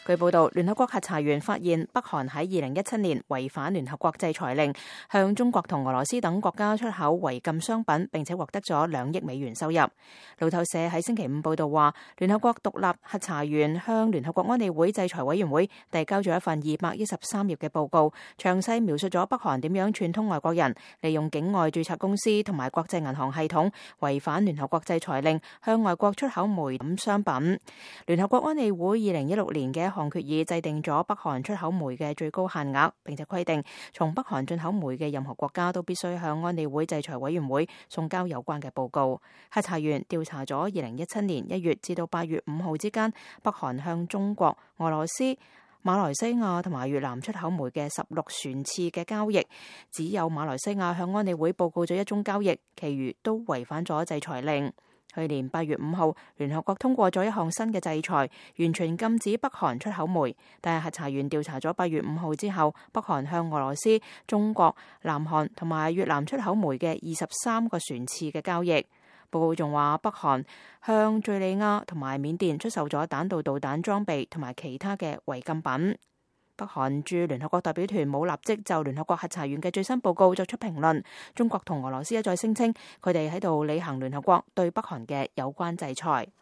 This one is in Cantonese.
據報道，聯合國核查員發現北韓喺2017年違反聯合國制裁令，向中國同俄羅斯等國家出口違禁商品，並且獲得咗2億美元收入。路透社喺星期五報道話，聯合國獨立核查員向聯合國安理會制裁委員會遞交咗一份213頁嘅報告，詳細描述咗北韓點樣串通外國人，利用境外註冊公司同埋國際銀行系統違反聯合國制裁令，向外國出口煤等商品。聯合國安理會2016年嘅項決議制定咗北韓出口煤嘅最高限額，並且規定從北韓進口煤嘅任何國家都必須向安理會制裁委員會送交有關嘅報告。核查員調查咗2017年1月至到8月5號之間，北韓向中國、俄羅斯、馬來西亞同埋越南出口煤嘅16船次嘅交易，只有馬來西亞向安理會報告咗1宗交易，其餘都違反咗制裁令。去年8月5號，聯合國通過咗一項新嘅制裁，完全禁止北韓出口煤。但係核查員調查咗8月5號之後，北韓向俄羅斯、中國、南韓同埋越南出口煤嘅23個船次嘅交易。報告仲話，北韓向敘利亞同埋緬甸出售咗彈道導彈裝備同埋其他嘅違禁品。北韓駐聯合國代表團冇立即就聯合國核查員嘅最新報告作出評論。中國同俄羅斯一再聲稱，佢哋喺度履行聯合國對北韓嘅有關制裁。